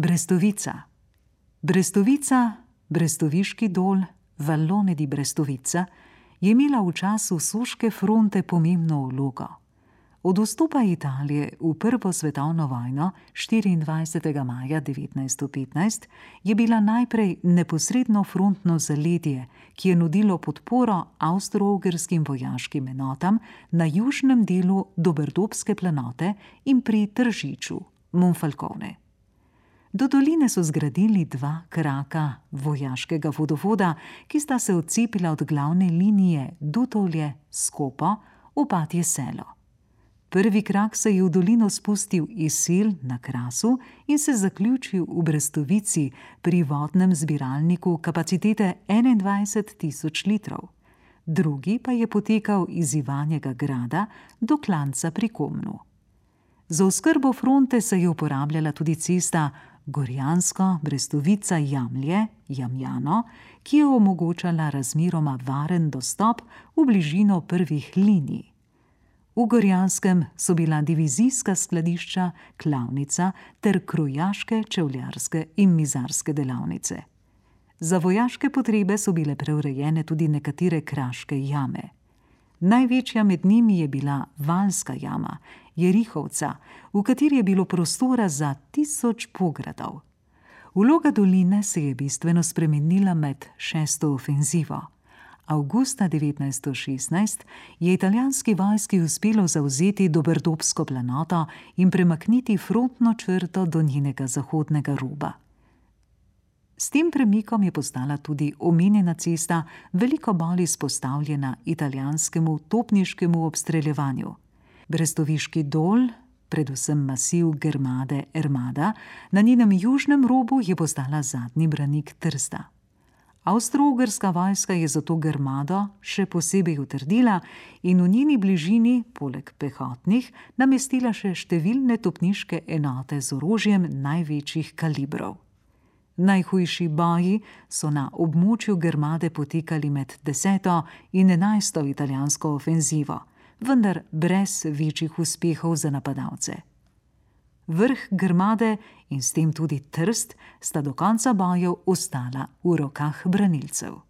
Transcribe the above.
Brestovica. Brestovica, Brestoviški dol, Vallone di Brestovica, je imela v času Soške fronte pomembno vlogo. Od vstopa Italije v Prvo svetovno vojno 24. maja 1915 je bila najprej neposredno frontno zaledje, ki je nudilo podporo avstro-ugrskim vojaškim enotam na južnem delu Dobrdobske planote in pri Tržiču, Monfalcone. Do doline so zgradili 2 kraka vojaškega vodovoda, ki sta se odcepila od glavne linije Dutovlje-Skopo, Opatje selo. Prvi krak se je v dolino spustil iz Sil na Krasu in se zaključil v Brestovici pri vodnem zbiralniku kapacitete 21.000 litrov. Drugi pa je potekal iz Ivanjega grada do Klanca pri Komnu. Za oskrbo fronte se je uporabljala tudi cesta Gorjansko-Brestovica-Jamlje-Jamjano, ki je omogočala razmeroma varen dostop v bližino prvih linij. V Gorjanskem so bila divizijska skladišča, klavnica ter krojaške, čevljarske in mizarske delavnice. Za vojaške potrebe so bile preurejene tudi nekatere kraške jame. Največja med njimi je bila Valska jama, Jerihovca, v kateri je bilo prostora za 1000 pogradov. Vloga doline se je bistveno spremenila med 6. ofenzivo. Avgusta 1916 je italijanski vojski uspelo zavzeti Dobrdobsko planoto in premakniti frontno črto do njenega zahodnega roba. S tem premikom je postala tudi omenjena cesta veliko bolj izpostavljena italijanskemu topniškemu obstreljevanju. Brestoviški dol, predvsem masiv Germade Ermada, na njenem južnem robu je postala zadnji branik Trsta. Avstro-ugrska vojska je zato Germado še posebej utrdila in v njeni bližini, poleg pehotnih, namestila še številne topniške enote z orožjem največjih kalibrov. Najhujši boji so na območju Germade potekali med 10. in 11. italijansko ofenzivo, vendar brez večjih uspehov za napadalce. Vrh Germade in s tem tudi Trst sta do konca bojev ostala v rokah branilcev.